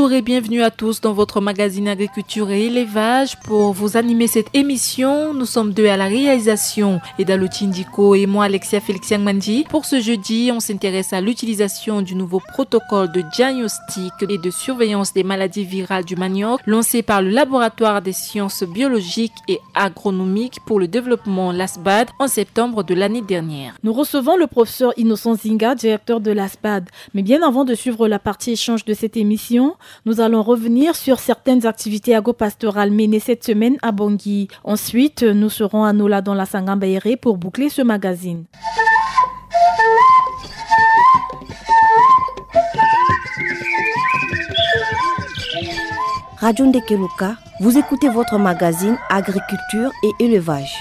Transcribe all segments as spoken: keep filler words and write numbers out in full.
Bonjour et bienvenue à tous dans votre magazine Agriculture et Élevage. Pour vous animer cette émission, nous sommes deux à la réalisation, Eda Lotindiko et moi, Alexia Félix Yangmandi. Pour ce jeudi, on s'intéresse à l'utilisation du nouveau protocole de diagnostic et de surveillance des maladies virales du manioc lancé par le Laboratoire des sciences biologiques et agronomiques pour le développement, l'ASBAD, en septembre de l'année dernière. Nous recevons le professeur Innocent Zinga, directeur de l'ASBAD. Mais bien avant de suivre la partie échange de cette émission, nous allons revenir sur certaines activités agro-pastorales menées cette semaine à Bangui. Ensuite, nous serons à Nola dans la Sangamba Ere pour boucler ce magazine. Radio Ndekeluka, vous écoutez votre magazine Agriculture et Élevage.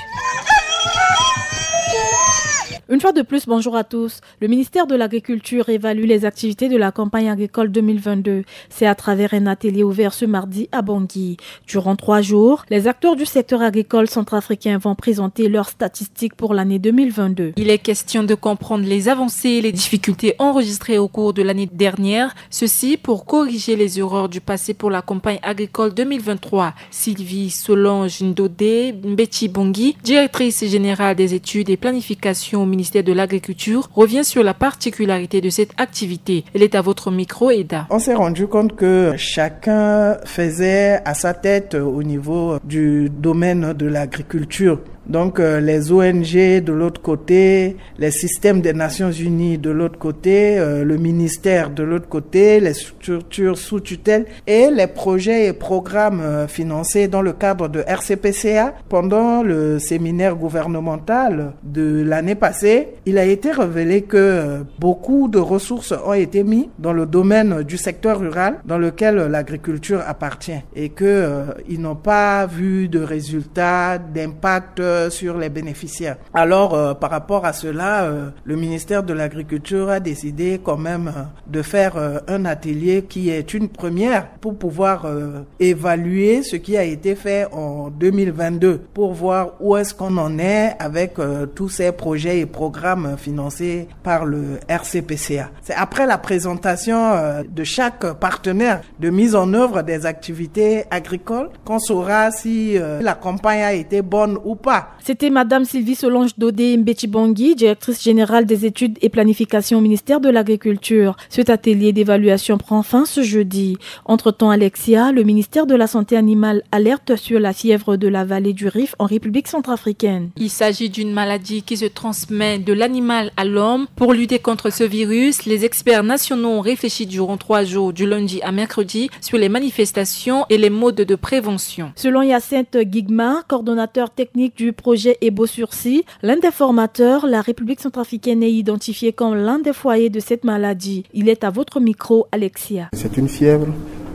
Une fois de plus, bonjour à tous. Le ministère de l'Agriculture évalue les activités de la campagne agricole deux mille vingt-deux. C'est à travers un atelier ouvert ce mardi à Bangui. Durant trois jours, les acteurs du secteur agricole centrafricain vont présenter leurs statistiques pour l'année deux mille vingt-deux. Il est question de comprendre les avancées et les difficultés enregistrées au cours de l'année dernière, ceci pour corriger les erreurs du passé pour la campagne agricole deux mille vingt-trois. Sylvie Solange Ndodé Mbeti Bangui, directrice générale des études et planification au ministère de l'Agriculture, revient sur la particularité de cette activité. Elle est à votre micro, Eda. On s'est rendu compte que chacun faisait à sa tête au niveau du domaine de l'agriculture. Donc, euh, les O N G de l'autre côté, les systèmes des Nations Unies de l'autre côté, euh, le ministère de l'autre côté, les structures sous tutelle et les projets et programmes, euh, financés dans le cadre de R C P C A. Pendant le séminaire gouvernemental de l'année passée, il a été révélé que, euh, beaucoup de ressources ont été mises dans le domaine du secteur rural dans lequel l'agriculture appartient et que, euh, ils n'ont pas vu de résultats, d'impact, euh, sur les bénéficiaires. Alors, euh, par rapport à cela, euh, le ministère de l'Agriculture a décidé quand même, euh, de faire, euh, un atelier qui est une première pour pouvoir, euh, évaluer ce qui a été fait en deux mille vingt-deux, pour voir où est-ce qu'on en est avec, euh, tous ces projets et programmes financés par le R C P C A. C'est après la présentation, euh, de chaque partenaire de mise en œuvre des activités agricoles qu'on saura si, euh, la campagne a été bonne ou pas. C'était Madame Sylvie Solange Dodé Mbetibangui, directrice générale des études et planification au ministère de l'Agriculture. Cet atelier d'évaluation prend fin ce jeudi. Entre-temps, Alexia, le ministère de la Santé animale alerte sur la fièvre de la vallée du Rift en République centrafricaine. Il s'agit d'une maladie qui se transmet de l'animal à l'homme. Pour lutter contre ce virus, les experts nationaux ont réfléchi durant trois jours, du lundi à mercredi, sur les manifestations et les modes de prévention. Selon Hyacinthe Guigma, coordonnateur technique du projet Ebo Sursis, l'un des formateurs, la République centrafricaine est identifiée comme l'un des foyers de cette maladie. Il est à votre micro, Alexia. C'est une fièvre.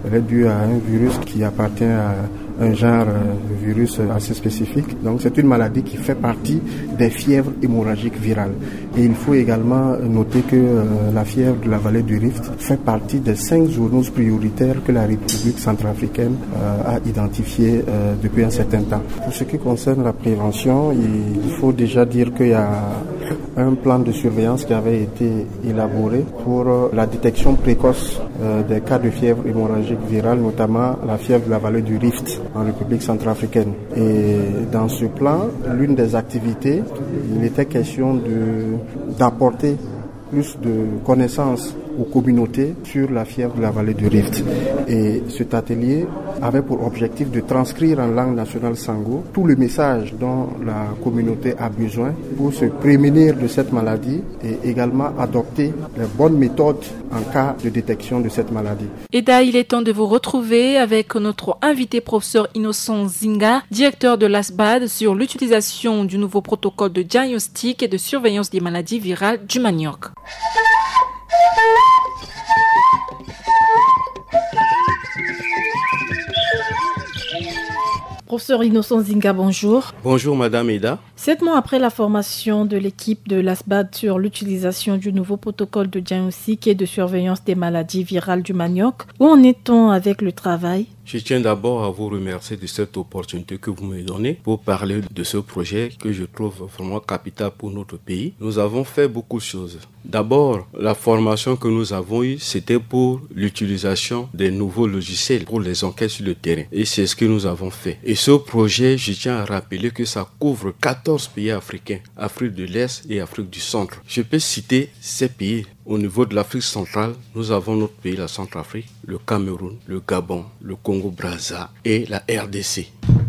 Elle est due à un virus qui appartient à un genre, euh, de virus assez spécifique. Donc c'est une maladie qui fait partie des fièvres hémorragiques virales. Et il faut également noter que, euh, la fièvre de la vallée du Rift fait partie des cinq zoonoses prioritaires que la République centrafricaine, euh, a identifiées, euh, depuis un certain temps. Pour ce qui concerne la prévention, il faut déjà dire qu'il y a un plan de surveillance qui avait été élaboré pour, euh, la détection précoce, euh, des cas de fièvre hémorragique virale, notamment la fièvre de la vallée du Rift en République centrafricaine. Et dans ce plan, l'une des activités, il était question de, d'apporter plus de connaissances aux communautés sur la fièvre de la vallée du Rift. Et cet atelier avait pour objectif de transcrire en langue nationale sango tous les messages dont la communauté a besoin pour se prémunir de cette maladie et également adopter les bonnes méthodes en cas de détection de cette maladie. Et là, il est temps de vous retrouver avec notre invité, professeur Innocent Zinga, directeur de l'ASBAD, sur l'utilisation du nouveau protocole de diagnostic et de surveillance des maladies virales du manioc. Professeur Innocent Zinga, bonjour. Bonjour, Madame Eda. Sept mois après la formation de l'équipe de l'ASBAD sur l'utilisation du nouveau protocole de diagnostic et de surveillance des maladies virales du manioc, où en est-on avec le travail ? Je tiens d'abord à vous remercier de cette opportunité que vous me donnez pour parler de ce projet que je trouve vraiment capital pour notre pays. Nous avons fait beaucoup de choses. D'abord, la formation que nous avons eue, c'était pour l'utilisation des nouveaux logiciels pour les enquêtes sur le terrain. Et c'est ce que nous avons fait. Et ce projet, je tiens à rappeler que ça couvre quatorze pays africains, Afrique de l'Est et Afrique du Centre. Je peux citer ces pays. Au niveau de l'Afrique centrale, nous avons notre pays, la Centrafrique, le Cameroun, le Gabon, le Congo-Brazza et la R D C.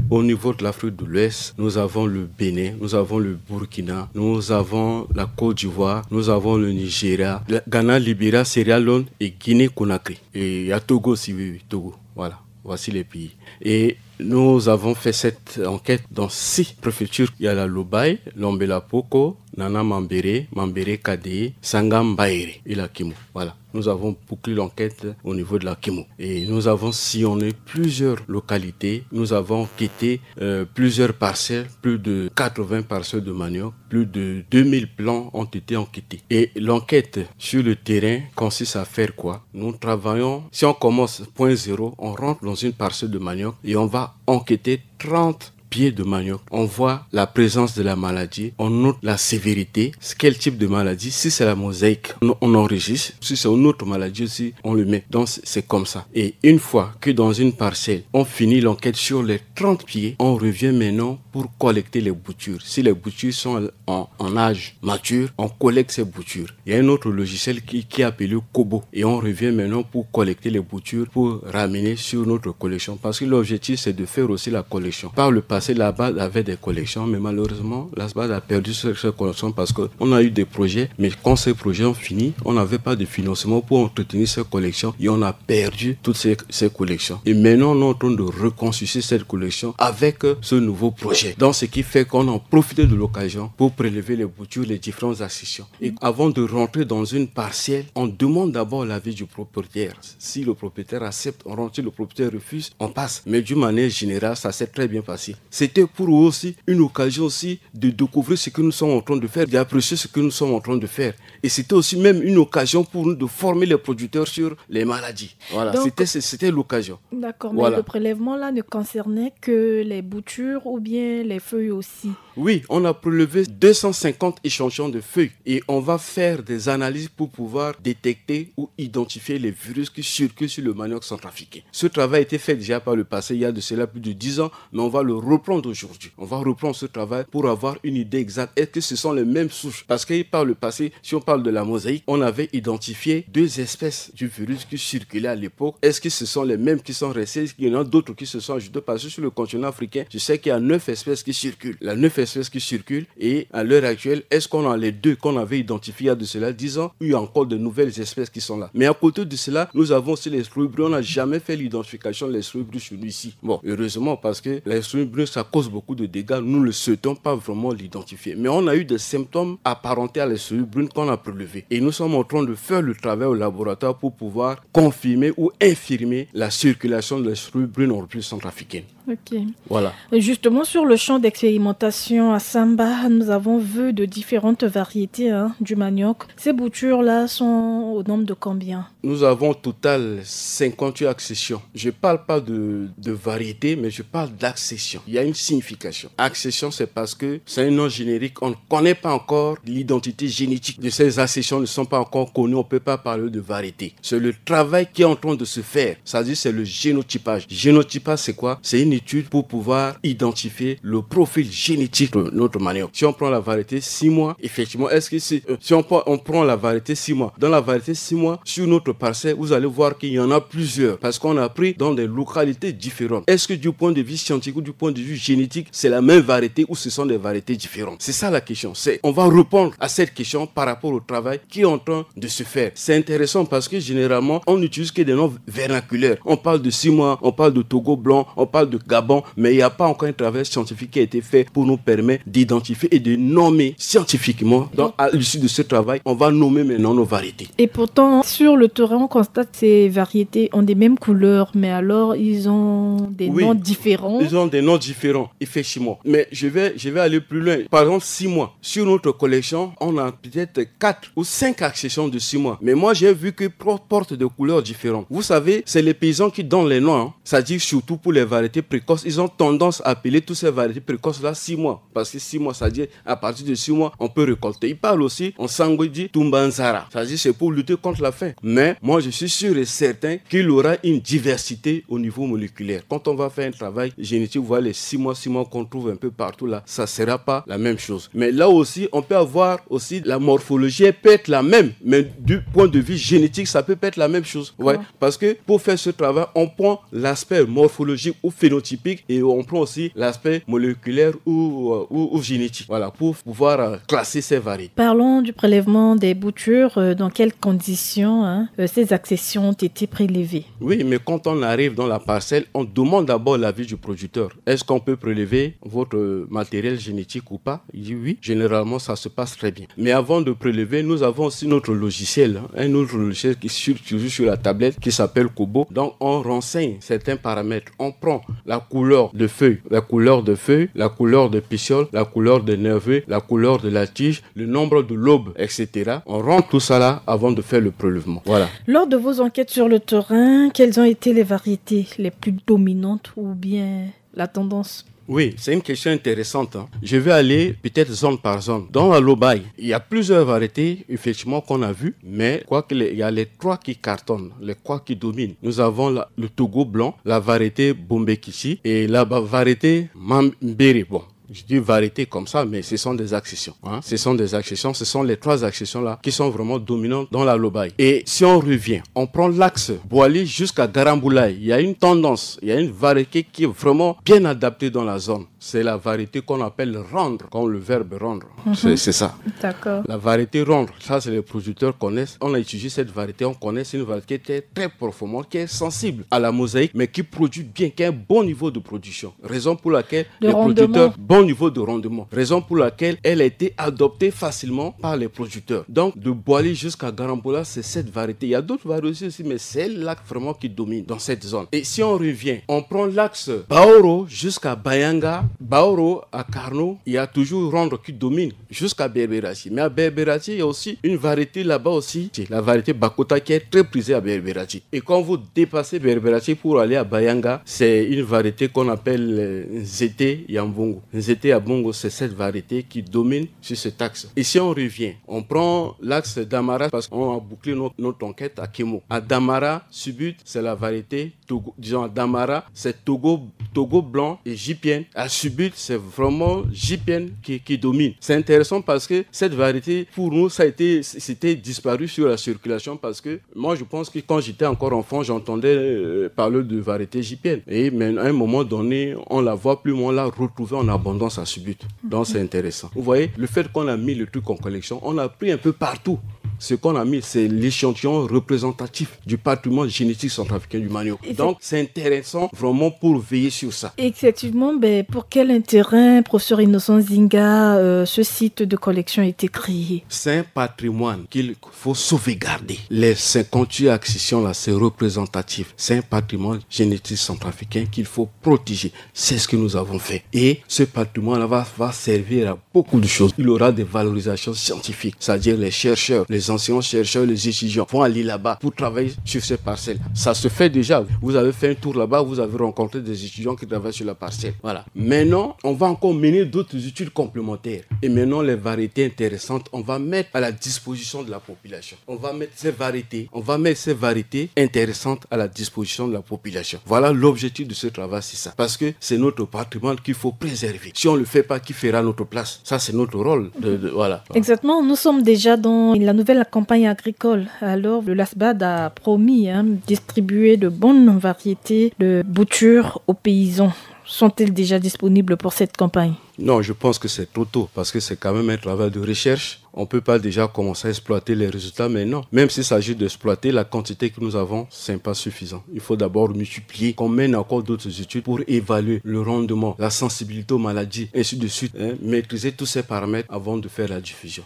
Au niveau de l'Afrique de l'Ouest, nous avons le Bénin, nous avons le Burkina, nous avons la Côte d'Ivoire, nous avons le Nigeria, le Ghana, Libéria, Sierra Leone et Guinée-Conakry. Et il y a Togo aussi, oui, oui, Togo. Voilà, voici les pays. Et nous avons fait cette enquête dans six préfectures. Il y a la Lobaye, Lombela Poko, Nana Mambéré, Mambéré Kadé, Sangam Baéré et la Kimo. Voilà. Nous avons bouclé l'enquête au niveau de la Kimo. Et nous avons sillonné plusieurs localités. Nous avons enquêté euh, plusieurs parcelles, plus de quatre-vingts parcelles de manioc. Plus de deux mille plants ont été enquêtés. Et l'enquête sur le terrain consiste à faire quoi ? Nous travaillons, si on commence point zéro, on rentre dans une parcelle de manioc et on va enquêter trente pieds de manioc. On voit la présence de la maladie, on note la sévérité, quel type de maladie. Si c'est la mosaïque, on, on enregistre. Si c'est une autre maladie aussi, on le met. Donc, c'est comme ça. Et une fois que dans une parcelle, on finit l'enquête sur les trente pieds, on revient maintenant pour collecter les boutures. Si les boutures sont en, en âge mature, on collecte ces boutures. Il y a un autre logiciel qui, qui est appelé Kobo. Et on revient maintenant pour collecter les boutures pour ramener sur notre collection. Parce que l'objectif, c'est de faire aussi la collection. Par le passé, l'ASBAD avait des collections, mais malheureusement, l'ASBAD a perdu cette collection parce qu'on a eu des projets. Mais quand ces projets ont fini, on n'avait pas de financement pour entretenir ces collections et on a perdu toutes ces, ces collections. Et maintenant, on est en train de reconstituer cette collection avec ce nouveau projet. Donc, ce qui fait qu'on a profité de l'occasion pour prélever les boutures, les différentes accessions. Et avant de rentrer dans une parcelle, on demande d'abord l'avis du propriétaire. Si le propriétaire accepte, on rentre. Si le propriétaire refuse, on passe. Mais d'une manière générale, ça s'est très bien passé. C'était pour eux aussi une occasion aussi de découvrir ce que nous sommes en train de faire, d'apprécier ce que nous sommes en train de faire. Et c'était aussi même une occasion pour nous de former les producteurs sur les maladies. Voilà, c'était l'occasion. D'accord, mais le prélèvement là ne concernait que les boutures ou bien les feuilles aussi ? Oui, on a prélevé deux cent cinquante échantillons de feuilles et on va faire des analyses pour pouvoir détecter ou identifier les virus qui circulent sur le manioc centrafricain. Ce travail a été fait déjà par le passé, il y a de cela plus de dix ans, mais on va le reprendre aujourd'hui. On va reprendre ce travail pour avoir une idée exacte. Est-ce que ce sont les mêmes souches ? Parce que par le passé, si on parle de la mosaïque, on avait identifié deux espèces du virus qui circulaient à l'époque. Est-ce que ce sont les mêmes qui sont restés ? Est-ce qu'il y en a d'autres qui se sont ajoutés ? Parce que sur le continent africain, je sais qu'il y a neuf espèces qui circulent. Il y a neuf espèces qui circulent et à l'heure actuelle, est-ce qu'on a les deux qu'on avait identifiés il y a de cela dix ans ou il y a encore de nouvelles espèces qui sont là ? Mais à côté de cela, nous avons aussi les souris brunes. On n'a jamais fait l'identification des souris brunes chez nous ici. Bon, heureusement, parce que les souris brunes, ça cause beaucoup de dégâts. Nous ne souhaitons pas vraiment l'identifier. Mais on a eu des symptômes apparentés à les souris brunes qu'on a prélevés. Et nous sommes en train de faire le travail au laboratoire pour pouvoir confirmer ou infirmer la circulation des souris brunes en République centrafricaine. Ok. Voilà. Justement, sur le champ d'expérimentation à Samba, nous avons vu de différentes variétés, hein, du manioc. Ces boutures-là sont au nombre de combien ? Nous avons au total cinquante-huit accessions. Je parle pas de, de variété, mais je parle d'accession. Il y a une signification. Accession, c'est parce que c'est un nom générique. On ne connaît pas encore l'identité génétique de ces accessions, ne sont pas encore connues. On peut pas parler de variété. C'est le travail qui est en train de se faire. C'est-à-dire, c'est le génotypage. Génotypage, c'est quoi ? C'est une étude pour pouvoir identifier le profil génétique de notre manioc. Si on prend la variété six mois, effectivement, est-ce que c'est, euh, si on prend, on prend la variété six mois, dans la variété six mois, sur notre parcelle, vous allez voir qu'il y en a plusieurs parce qu'on a pris dans des localités différentes. Est-ce que du point de vue scientifique ou du point de vue génétique, c'est la même variété ou ce sont des variétés différentes ? C'est ça la question. C'est, on va répondre à cette question par rapport au travail qui est en train de se faire. C'est intéressant parce que généralement, on n'utilise que des noms vernaculaires. On parle de six mois, on parle de Togo blanc, on parle de Gabon, mais il n'y a pas encore un travail scientifique qui a été fait pour nous permettre d'identifier et de nommer scientifiquement. Donc, à l'issue de ce travail, on va nommer maintenant nos variétés. Et pourtant, sur le terrain, on constate ces variétés ont des mêmes couleurs, mais alors ils ont des Oui. noms différents. Ils ont des noms différents, effectivement. Mais je vais, je vais aller plus loin. Par exemple, six mois. Sur notre collection, on a peut-être quatre ou cinq accessions de six mois. Mais moi, j'ai vu que pro- portent des couleurs différentes. Vous savez, c'est les paysans qui donnent les noms, hein. C'est-à-dire surtout pour les variétés précoces. Ils ont tendance à appeler toutes ces variétés précoces-là six mois. Parce que six mois, c'est-à-dire à partir de six mois, on peut récolter. Ils parlent aussi, en sango, il dit Tumbanzara. C'est-à-dire c'est pour lutter contre la faim. Mais moi, je suis sûr et certain qu'il y aura une diversité au niveau moléculaire. Quand on va faire un travail génétique, vous voyez les six mois, six mois qu'on trouve un peu partout là, ça sera pas la même chose. Mais là aussi, on peut avoir aussi la morphologie, elle peut être la même, mais du point de vue génétique, ça peut pas être la même chose. Ouais, parce que pour faire ce travail, on prend l'aspect morphologique ou phénotypique et on prend aussi l'aspect moléculaire ou, euh, ou, ou génétique. Voilà, pour pouvoir euh, classer ces variétés. Parlons du prélèvement des boutures. Euh, dans quelles conditions, hein, euh, ces accessions ont été prélevées ? Oui, mais quand on arrive dans la parcelle, on demande d'abord l'avis du producteur. Est-ce qu'on peut prélever votre euh, matériel génétique ou pas ? Il dit oui. Généralement, ça se passe très bien. Mais avant de prélever, nous avons aussi notre logiciel, hein, un autre logiciel qui est sur, toujours sur la tablette, qui s'appelle Kobo. Donc, on renseigne certains paramètres. On prend la couleur de feuille, la couleur de feuille, la couleur de pétiole, la couleur de nervure, la couleur de la tige, le nombre de lobes, et cetera. On rentre tout ça là avant de faire le prélèvement. Voilà. Lors de vos enquêtes sur le terrain, quelles ont été les variétés les plus dominantes ou bien la tendance ? Oui, c'est une question intéressante, hein. Je vais aller peut-être zone par zone. Dans la Lobaye, il y a plusieurs variétés, effectivement, qu'on a vues, mais quoi qu'il y a les trois qui cartonnent, les trois qui dominent. Nous avons la- le Togo blanc, la variété Bombekichi et la ba- variété Mambere. Bon, je dis variété comme ça, mais ce sont des accessions, hein. Ce sont des accessions, ce sont les trois accessions là qui sont vraiment dominantes dans la Lobaye. Et si on revient, on prend l'axe Boali jusqu'à Garamboulaye, il y a une tendance, il y a une variété qui est vraiment bien adaptée dans la zone. C'est la variété qu'on appelle rendre, comme le verbe rendre. C'est c'est ça. D'accord. La variété rendre, ça c'est les producteurs connaissent. On a utilisé cette variété, on connaît, c'est une variété qui est très, très performante, qui est sensible à la mosaïque, mais qui produit bien, qui a un bon niveau de production. Raison pour laquelle De les rendement. producteurs, bon niveau de rendement. Raison pour laquelle elle a été adoptée facilement par les producteurs. Donc de Boali jusqu'à Garambola, c'est cette variété. Il y a d'autres variétés aussi, mais c'est celle-là vraiment qui domine dans cette zone. Et si on revient, on prend l'axe Baoro jusqu'à Bayanga, Baoro à Karno, il y a toujours rendre qui domine jusqu'à Berberachi. Mais à Berberachi, il y a aussi une variété là-bas aussi, c'est la variété Bakota qui est très prisée à Berberachi. Et quand vous dépassez Berberachi pour aller à Bayanga, c'est une variété qu'on appelle euh, Nzete Yambongo. Nzete Yambongo, c'est cette variété qui domine sur cet axe. Et si on revient, on prend l'axe d'Amara parce qu'on a bouclé notre, notre enquête à Kemo. À Damara, Subut, c'est la variété Togo, disons à Damara, c'est Togo, Togo blanc et J P N. À Subut, c'est vraiment J P N qui, qui domine. C'est intéressant parce que cette variété, pour nous, ça a été, c'était disparu sur la circulation parce que moi, je pense que quand j'étais encore enfant, j'entendais euh, parler de variété J P N. Et mais à un moment donné, on la voit plus, mais on l'a retrouvée en abondance à Subut. Donc, c'est intéressant. Vous voyez, le fait qu'on a mis le truc en collection, on a pris un peu partout. Ce qu'on a mis, c'est l'échantillon représentatif du patrimoine génétique centrafricain du manioc. Et c'est- Donc, c'est intéressant vraiment pour veiller sur ça. Effectivement, ben, pour quel intérêt, professeur Innocent Zinga, euh, ce site de collection a été créé ? C'est un patrimoine qu'il faut sauvegarder. Les cinquante-huit accessions là, c'est représentatif. C'est un patrimoine génétique centrafricain qu'il faut protéger. C'est ce que nous avons fait. Et ce patrimoine-là va, va servir à beaucoup de choses. Il y aura des valorisations scientifiques, c'est-à-dire les chercheurs, les enseignants-chercheurs, les étudiants vont aller là-bas pour travailler sur ces parcelles. Ça se fait déjà. Vous avez fait un tour là-bas, vous avez rencontré des étudiants qui travaillent sur la parcelle. Voilà. Maintenant, on va encore mener d'autres études complémentaires. Et maintenant, les variétés intéressantes, on va mettre à la disposition de la population. On va mettre ces variétés, on va mettre ces variétés intéressantes à la disposition de la population. Voilà l'objectif de ce travail, c'est ça. Parce que c'est notre patrimoine qu'il faut préserver. Si on ne le fait pas, qui fera notre place ? Ça, c'est notre rôle. De, de- voilà. Exactement, nous sommes déjà dans la nouvelle campagne agricole. Alors, le LASBAD a promis, hein, distribuer de bonnes variétés de boutures aux paysans. Sont-elles déjà disponibles pour cette campagne ? Non, je pense que c'est trop tôt parce que c'est quand même un travail de recherche. On peut pas déjà commencer à exploiter les résultats maintenant. Même s'il s'agit d'exploiter, la quantité que nous avons, c'est pas suffisant. Il faut d'abord multiplier, qu'on mène encore d'autres études pour évaluer le rendement, la sensibilité aux maladies, ainsi de suite, hein, maîtriser tous ces paramètres avant de faire la diffusion.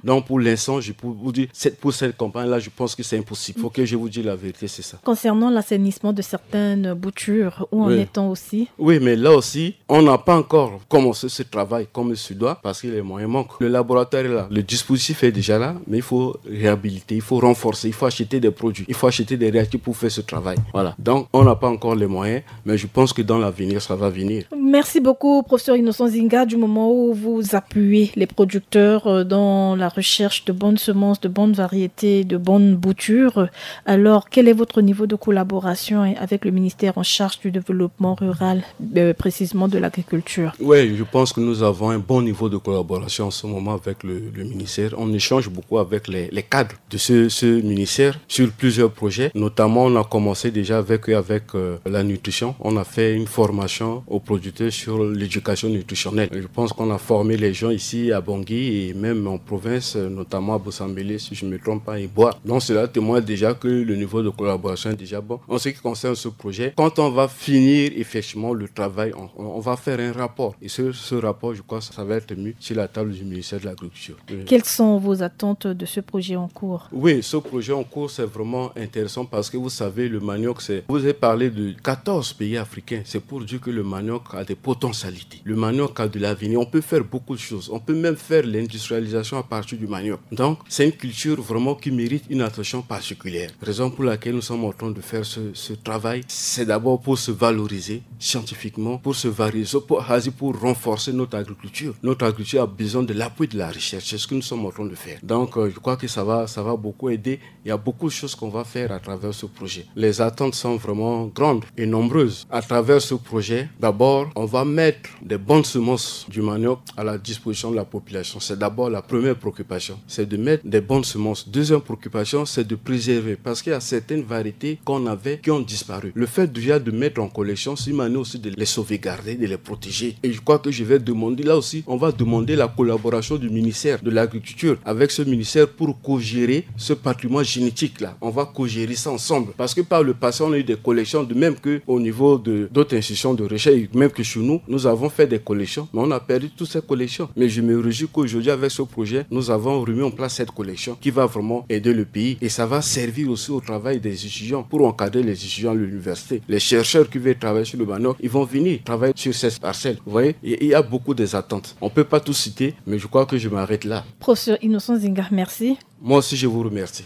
Donc pour l'instant, je peux vous dire, cette, pour cette campagne-là, je pense que c'est impossible. Faut que je vous dise la vérité, c'est ça. Concernant l'assainissement de certaines boutures, où en est-on aussi ? Oui, mais là aussi, on n'a pas encore commencé ce travail comme il se doit parce que les moyens manquent. Le laboratoire est là, le dispositif est déjà là, mais il faut réhabiliter, il faut renforcer, il faut acheter des produits, il faut acheter des réactifs pour faire ce travail. Voilà. Donc, on n'a pas encore les moyens, mais je pense que dans l'avenir, ça va venir. Merci beaucoup, professeur Innocent Zinga, du moment où vous appuyez les producteurs euh, dans la recherche de bonnes semences, de bonnes variétés, de bonnes boutures. Alors, quel est votre niveau de collaboration, hein, avec le ministère en charge du développement rural, euh, précisément de l'agriculture ? Oui, je pense que nous avons un bon niveau de collaboration en ce moment avec le, le ministère. On échange beaucoup avec les, les cadres de ce, ce ministère sur plusieurs projets. Notamment, on a commencé déjà avec eux, avec euh, la nutrition. On a fait une formation aux producteurs sur l'éducation nutritionnelle. Je pense qu'on a formé les gens ici à Bangui et même en province, euh, notamment à Bossambélé, si je ne me trompe pas, et Boa. Donc cela témoigne déjà que le niveau de collaboration est déjà bon. En ce qui concerne ce projet, quand on va finir effectivement le travail, on, on va faire un rapport. Et ce, ce rapport, je crois, ça va être mis sur la table du ministère de l'Agriculture. Oui. Quelles sont vos attentes de ce projet en cours ? Oui, ce projet en cours, c'est vraiment intéressant parce que vous savez, le manioc, c'est... Vous avez parlé de quatorze pays africains. C'est pour dire que le manioc a des potentialités. Le manioc a de l'avenir. On peut faire beaucoup de choses. On peut même faire l'industrialisation à partir du manioc. Donc, c'est une culture vraiment qui mérite une attention particulière. Raison pour laquelle nous sommes en train de faire ce, ce travail, c'est d'abord pour se valoriser scientifiquement, pour se valoriser, pour, pour renforcer notre agriculture. Notre agriculture a besoin de l'appui de la recherche. C'est ce que nous sommes en train de faire. Donc, euh, je crois que ça va, ça va beaucoup aider. Il y a beaucoup de choses qu'on va faire à travers ce projet. Les attentes sont vraiment grandes et nombreuses. À travers ce projet, d'abord, on va mettre des bonnes semences du manioc à la disposition de la population. C'est d'abord la première préoccupation, c'est de mettre des bonnes semences. Deuxième préoccupation, c'est de préserver, parce qu'il y a certaines variétés qu'on avait qui ont disparu. Le fait déjà de mettre en collection, c'est une manière aussi de les sauvegarder, de les protéger. Et je crois que je vais demander, là aussi, on va demander la collaboration du ministère de l'Agriculture avec ce ministère pour co-gérer ce patrimoine génétique-là. On va co-gérer ça ensemble. Parce que par le passé, on a eu des collections, de même que au niveau de d'autres institutions de recherche, même que chez nous, nous avons fait des collections, mais on a perdu toutes ces collections. Mais je me réjouis qu'aujourd'hui, avec ce projet, nous avons remis en place cette collection qui va vraiment aider le pays. Et ça va servir aussi au travail des étudiants pour encadrer les étudiants à l'université. Les chercheurs qui veulent travailler sur le manioc, ils vont venir travailler sur ces parcelles. Vous voyez, il y a beaucoup des attentes. On ne peut pas tout citer, mais je crois que je m'arrête là. Professeur Innocent Zinga, merci. Moi aussi, je vous remercie.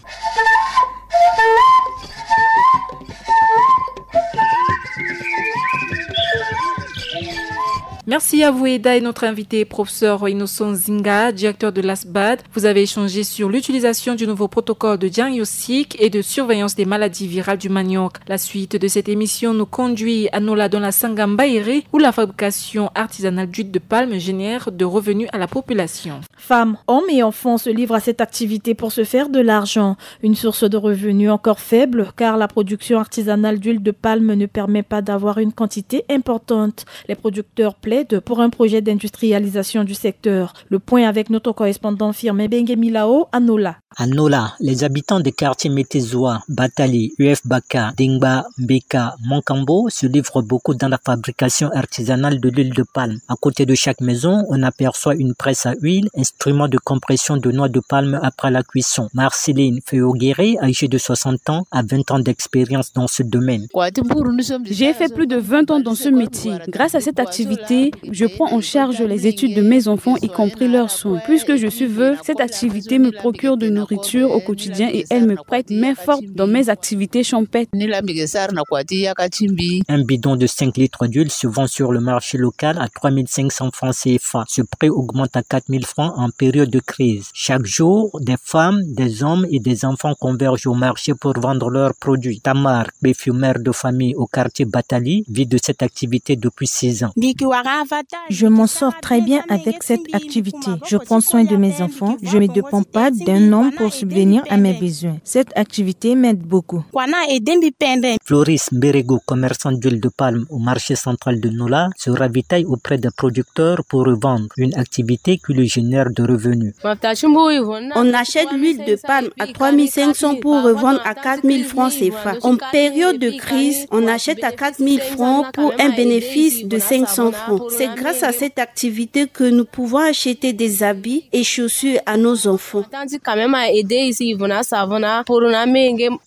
Merci à vous, Eda, et notre invité, professeur Innocent Zinga, directeur de l'ASBAD. Vous avez échangé sur l'utilisation du nouveau protocole de diagnostic et de surveillance des maladies virales du manioc. La suite de cette émission nous conduit à Nola, dans la Sangamba Ere, où la fabrication artisanale d'huile de palme génère de revenus à la population. Femmes, hommes et enfants se livrent à cette activité pour se faire de l'argent. Une source de revenus encore faible, car la production artisanale d'huile de palme ne permet pas d'avoir une quantité importante. Les producteurs plaident pour un projet d'industrialisation du secteur. Le point avec notre correspondant Firmin Bengemilao à Nola. À Nola, les habitants des quartiers Metezoa, Batali, U F Baka, Dengba, Mbeka, Monkambo se livrent beaucoup dans la fabrication artisanale de l'huile de palme. À côté de chaque maison, on aperçoit une presse à huile, instrument de compression de noix de palme après la cuisson. Marceline Feogere, âgée de soixante ans, a vingt ans d'expérience dans ce domaine. J'ai fait plus de vingt ans dans ce métier. Grâce à cette activité, je prends en charge les études de mes enfants, y compris leurs soins. Puisque je suis veuve, cette activité me procure de nourriture au quotidien et elle me prête main forte dans mes activités champêtres. Un bidon de cinq litres d'huile se vend sur le marché local à trois mille cinq cents francs C F A. Ce prix augmente à quatre mille francs en période de crise. Chaque jour, des femmes, des hommes et des enfants convergent au marché pour vendre leurs produits. Tamar, belle-mère de famille au quartier Batali, vit de cette activité depuis six ans. Je m'en sors très bien avec cette activité. Je prends soin de mes enfants. Je ne dépends pas d'un homme pour subvenir à mes besoins. Cette activité m'aide beaucoup. Floris Mberego, commerçant d'huile de palme au marché central de Nola, se ravitaille auprès des producteurs pour revendre, une activité qui lui génère de revenus. On achète l'huile de palme à trois mille cinq cents pour revendre à quatre mille francs C F A. En période de crise, on achète à quatre mille francs pour un bénéfice de cinq cents francs. C'est grâce à cette activité que nous pouvons acheter des habits et chaussures à nos enfants.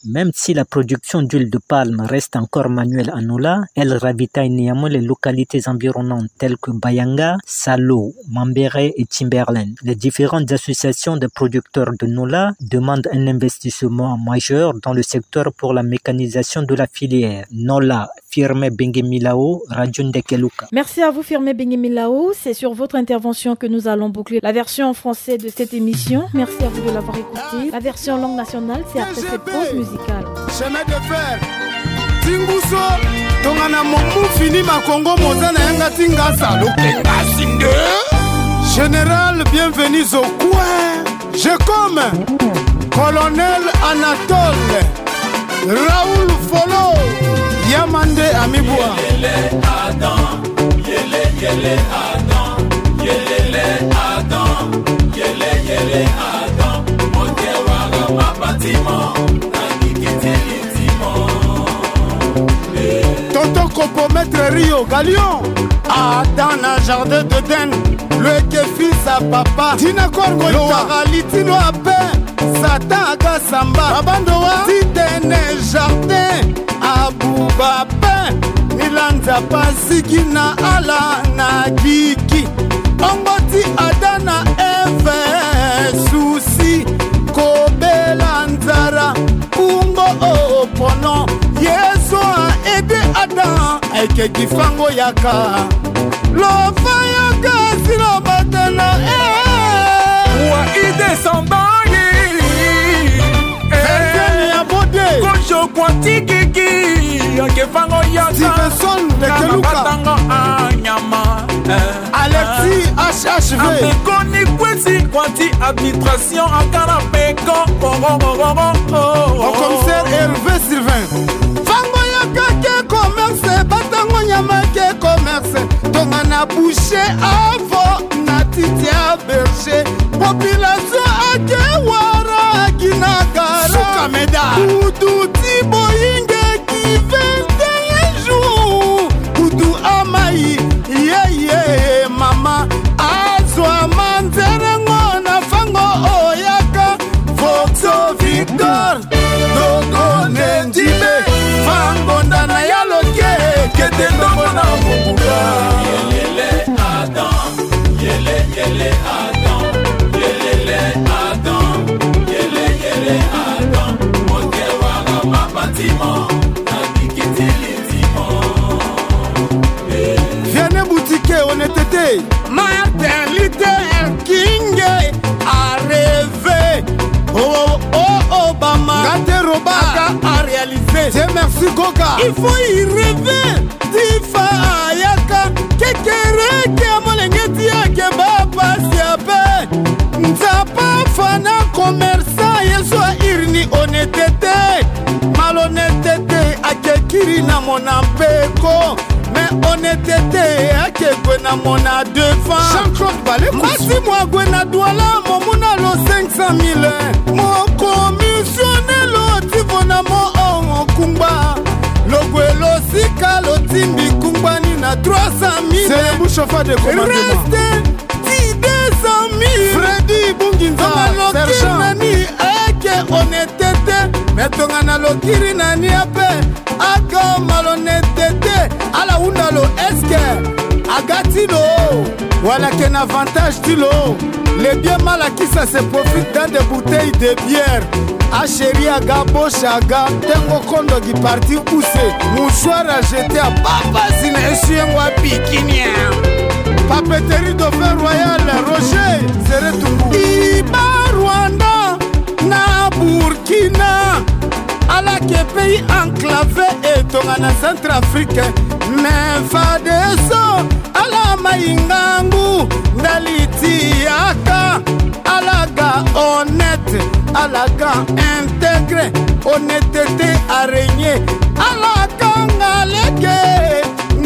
Même si la production d'huile de palme reste encore manuelle à Nola, elle ravitaille néanmoins les localités environnantes telles que Bayanga, Salo, Mambéré et Timberland. Les différentes associations de producteurs de Nola demandent un investissement majeur dans le secteur pour la mécanisation de la filière. Nola, Firmin Bengemilao, Radio Ndekeluka. Merci à vous, Firmin Bengemilao. C'est sur votre intervention que nous allons boucler la version en français de cette émission. Merci à vous de l'avoir écoutée. La version langue nationale, c'est après cette pause musicale. Chemin de fer. Tinguso, tongana momu fini makongo moza na yanga tinga sa lo kenga sinde. Général, bienvenue au coin. Je comme Colonel Anatole, Raoul Folo, Yamande Amibua. Toto Kopo, Maître Rio Galion. Adam na jardin d'Eden, lo yeke fils à papa. Tina Korgo lo wara li ti lo ape. Satan aga samba. Babando wa ti tene jardin abuba ape. Ni la Nzapa asigi na ala na gigi. Ongo ti Adam na Eve susi kobela nzara. Kungo o pono, Yezu a aidé Adam, ayeke gi fango yaka. Lo fa yaka si lo batana, eh. Wa i descendant ye. Version ya Bode. Kojo kua ti gigi, ayeke fango yaka. Stevenson Ndekeluka. Batango anyama, eh. Alexis H H V. Ameko ni kwesi kua ti administration akara peko. Au commissaire Hervé Sylvain. Fango yaka ke commerce, batango nyama ke commerce. Tongana boucher avo na titi a berger. Population ake wara ginagara. Suka meda. Kudu ti boyinge ki vingt et un jours. Kudu amai. Yeye mama azwa manzerengo na fango oyaka. Voxo Victor, Dogo Nendibe, fango ndana ya loke, kete ndongo na mobuka. Yelele Adam, yele, yele Adam, yelele Adam, yele, yele Adam, moke wara mabatimo, na bikitili. Vianney Boutique, honnêteté. Martin Luther King a rêvé. Oh, oh, oh, Obama. Gate Roba. Aka a réalisé. Dieu merci, Goga. Il faut y rêver. Ti fa ayaka. Kekereke molenge ti ake ba pasi ape. Nzapa fana commerçant, Yezu a iri ni honnêteté. Malhonnêteté ake kiri na mona mpeko. Mais honnêteté ake gue na mona devant. Jean-Claude Balekos. Mbasi mo ague na Douala, mo mu na lo cinq cent mille. Mo commissionné lo ti vo na mo o kungba. Lo gue lo sika lo timbi kungba ni na trois cent mille. C'est le bouche au feu de commandement. Reste ti deux cent mille. Freddy Bunginza, tongana lo kiri na ni ake honnêteté. Mais tongana lo kiri na ni ape aka malhonnêteté. Ala hunda lo, est-ce que aga ti lo wala ake na avantage ti lo? Les biens mal acquis, ça se profite dans des bouteilles de bière. A chéri aga, boche aga, tengo kondo gi parti use. Mouchoir à jeter à papa zina essuie-moi bikini. Papeterie Dauphin Royal, Roger Zere Tungu. I baa Rwanda na Burkina. Ala ake pays enclavé e tongana Centrafrique. Mais fadeso Ala ma e ngangu ndali ti yaka. Ala ga honnête, ala ga intégré. Honnêteté a régné. Ala kanga lege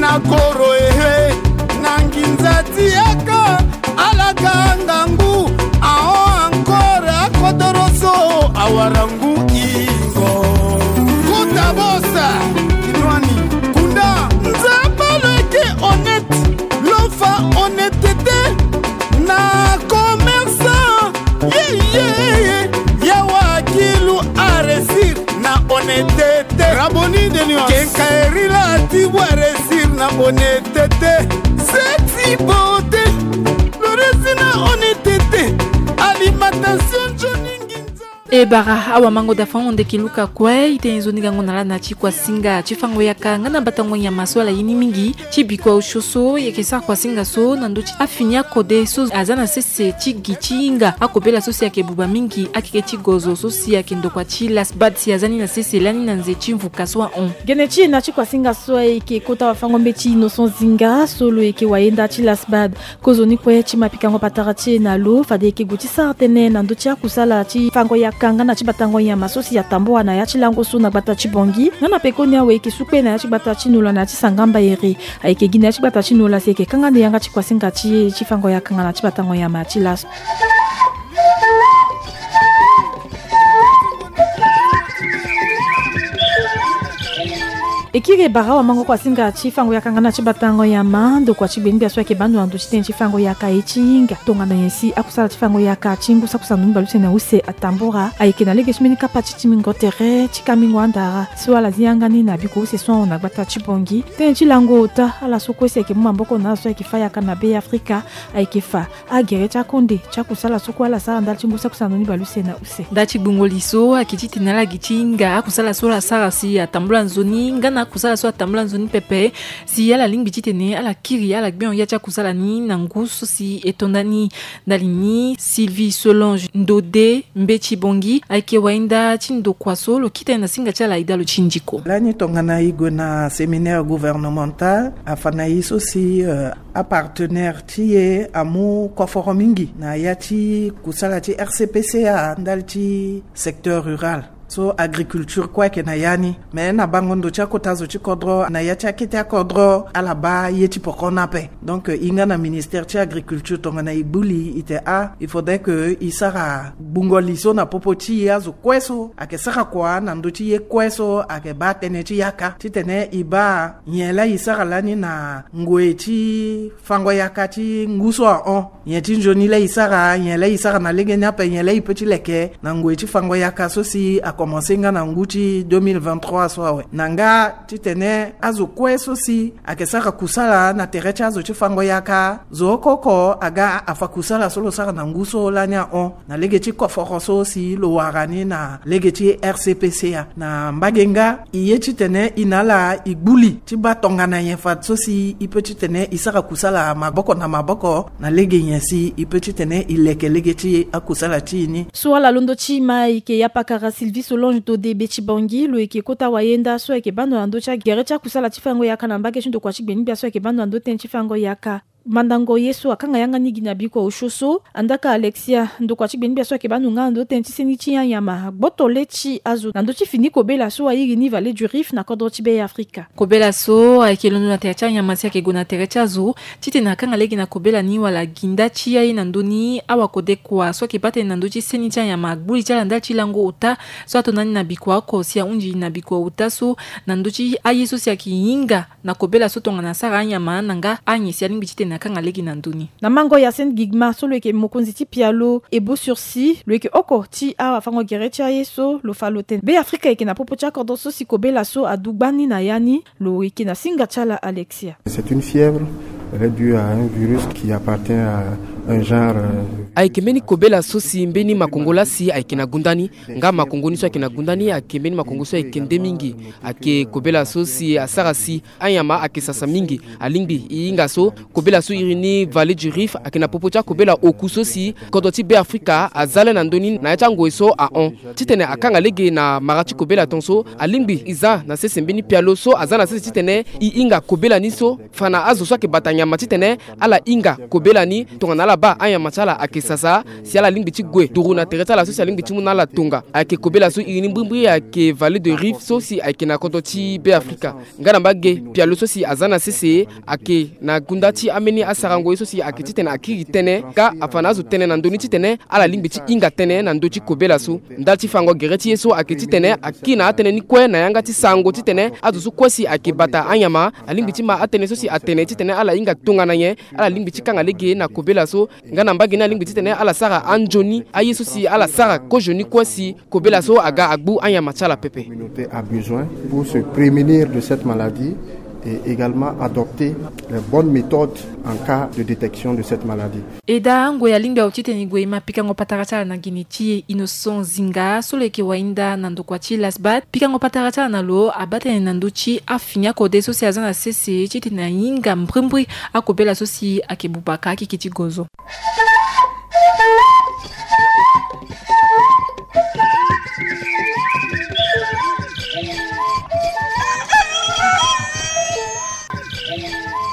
na goro ehe na nginza ti yaka. Ala ga ngangu ahon encore akodoro so awara ngu ingo. Kota bosa kinwani kunda. Nzapa lo yeke honnête, lo fa honnêteté na commerçant. Yeyeye. Yawa kilu a réussir na honnêteté. Raboni de nuance. Kenkaeri la ti wa réussir na honnêteté. Seti beauté. Lo réussir na honnêteté. Alimentation nzoni nginza. E bara awamango da fango ndeke luka kue i tene nzoni gango na lana ti kuasinga ti fango yaka nga na batango nyama so ala ye ni mingi ti bikua osio so. Yeke sara kuasinga so na ndö ti afini akode so aza na sese ti gi ti hinga akobela so si ayeke buba mingi akeke ti gozo so si ayeke ndokua ti lasbad si aza ni na sese lani na nze ti mvuka so ahon. Gene ti e na ti kuasinga so ayeke kota wafango mbeti Innocent Zinga so lo yeke wayenda ti lasbad. Kozoni kue ti ma pikango patara ti e na lo fade e yeke gue ti sara tënë na ndö ti akusala ti fango yaka nga na ti batango nyama so si atambua na ya ti lango so na gbata ti Bangui nga na pekoni awe e yeke su kue na ya ti gbata ti Nola na ya ti Sangamba ere. Ayeke gi na ya ti gbata ti Nola si e yeke kanga ni yanga ti kuasinga ti e ti fango yaka nga na ti batango nyama ti laso. E kiri e bara awamango kuasinga ti fango yaka nga na ti batango nyama ndokua ti gbeni gbia so ayeke baa ndo na ndö ti tënë ti fango yaka ye ti hinga tongana nyen si akusala ti fango yaka ti ngu saki kusana ni baleuse na use atambura. Ayeke na lege ti mbeni kapa ti timingo tere ti kamingo andara so ala zi yanga ni na biko use so ahon na gbata ti Bangui. Tënë ti lango ota ala so kue si ayeke mu maboko na ala so ayeke fa yaka na Be Afrika. Ayeke fa agere ti akonde ti akusala so kue ala sara ndali ti ngu saki kusana ni baleuse na use. Ndali ti gbungo li so ayeke titene ala gi ti hinga akusala so ala sara si atambula nzoni nga na akusala so atambula nzoni pepe. Si ala lingbi titene ala kiri ala gbengo ya ti akusala ni na ngu so si e to ndani. Ndali ni Sylvie Solange Ndode Mbeti Bangui ayeke wayenda ti ndokua so lo kita ye na singa ti ala e dalo ti ndiko. Lani tongana e gue na séminaire gouvernemental afa na e so si euh, apartenaire ti e amu koforo mingi na ya ti kusala ti R C P C A ndali ti secteur rural. So agriculture kue ayeke na ya ni. Mais na bango ndo ti akota zo ti kodro na ya ti akete akodro ala baa ye ti poko ni ape. Donc e nga na ministère ti agriculture tongana e gbu li e te ah il faudrait que e sara gbungo li so na popo ti e azo kue so ayeke sara kua na ndö ti ye kue so ayeke baa tënë ti yaka titene e baa nyen laa e sara lani na ngoi ti fango yaka ti ngu so ahon. Nyen ti nzoni laa e sara nyen laa e sara na lege ni ape nyen laa e peut ti leke na ngoi ti fango yaka so si akomanse nga na ngu ti deux mille vingt-trois so awe na nga titene azo kue so si ayeke sara kusala na tere ti azo ti fango yaka zo oko oko aga afa kusala so lo sara na ngu so lani ahon na lege ti koforo so si lo wara ni na lege ti R C P C A. Na mbage nga e ye titene e na ala e gbu li ti baa tongana nyen fade so si e peut titene e sara kusala maboko na maboko na lege nyen si e peut titene e leke lege ti akusala ti e ni. So ala londo ti ma e yeke ya pakara Sylvie Solange Ndode Mbeti Bangui lo yeke kota wayenda so ayeke baa ndo na ndö ti agere ti akusala ti fango yaka na mbage ti ndokua ti gbeni gbia so ayeke baa ndo na ndö tënë ti fango yaka. Mandango ye so akanga yanga ni gi na bikua osio so andaka Alexia ndokua ti gbeni gbia so ayeke baa ndo nga na ndö tënë ti seni ti anyama gboto le ti azo na ndö ti fini kobela so airi ni Vallée du Rift na kodro ti Be Afrika. Kobela so ayeke londo na tere ti anyama si ayeke gue na tere ti azo titene akanga lege na kobela ni wala gi nda ti aye na ndö ni awakode kua so ayeke baa tënë na ndö ti seni ti anyama gbu li ti ala ndali ti lango ota so ato na ni na bikua oko si ahunzi na bikua ota so na ndö ti aye so si ayeke hinga na kobela so tongana asara anyama na nga anyen si alingbi titene akanga lege na ndö ni. Na mango ya Sen Gigma so lo yeke mokonzi ti pialo Ebo Sursis lo yeke oko ti awafango gere ti aye so lo fa lo tene Be Afrika yeke na popo ti akodro so si kobela so adu gbani na ya ni. Lo yeke na singa ti ala Alexia. C'est une fièvre, elle est due à un virus qui appartient à Un genre, euh, ayeke mbeni kobela so si mbeni makongo laa si ayeke na gunda ni. Nga makongo ni so ayeke na gunda ni ayeke mbeni makongo so ayeke nde mingi. Ayeke kobela so si asara si anyama ayeke sasa mingi. Alingbi e hinga so kobela so iri ni Vallée du Rift ayeke na popo ti akobela oku so si kodro ti Beafrika aza le na ndö ni na ya ti angoi so ahon. Titene akanga lege na mara ti kobela ton so, alingbi e za na sese mbeni pialo so aza na sese titene e hinga kobela ni so. Fa na azo so ayeke bata nyama titene ala hinga kobela ni tongana ala baa anyama ti ala ayeke sasa, si ala lingbi ti gue duru na tere ti ala so si alingbi ti mu na ala tonga. Ayeke kobela so iri ni mbrimbri ayeke Vallée du Rift so si ayeke na kodro ti Beafrika. Nga na mbage, pialo so si aza na sese ayeke na gunda ti ambeni asarango ye so si ayeke titene akiri tënë, ka afa na azo tënë na ndö ni titene ala lingbi ti hinga tënë na ndö ti kobela so. Ndali ti fango gere ti ye so ayeke titene akiri na atënë ni kue na yanga ti sarango titene azo so kue si ayeke bata anyama alingbi ti ma atënë so si atene titene ala hinga tongana nyen, ala lingbi ti kanga lege na kobela so. Nga na mbage ni alingbi titene ala sara anzoni aye so si ala sara kozo ni kue si kobela so aga agbu anyama ti ala pepe. Communauté a besoin pour se prémunir de cette maladie et également adopter les bonnes méthodes en cas de détection de cette maladie. E daa ngoi alingbi awe titene e gue e ma pikango patara ti ala na gene ti e Innocent Zinga so lo yeke wainda na ndokua ti Lasbat. Pikango patara ti ala na lo abaa tënë na ndö ti afini akode so si aza na sese titene ahinga mbrimbri akobela so si ayeke buba ka akeke ti gozo.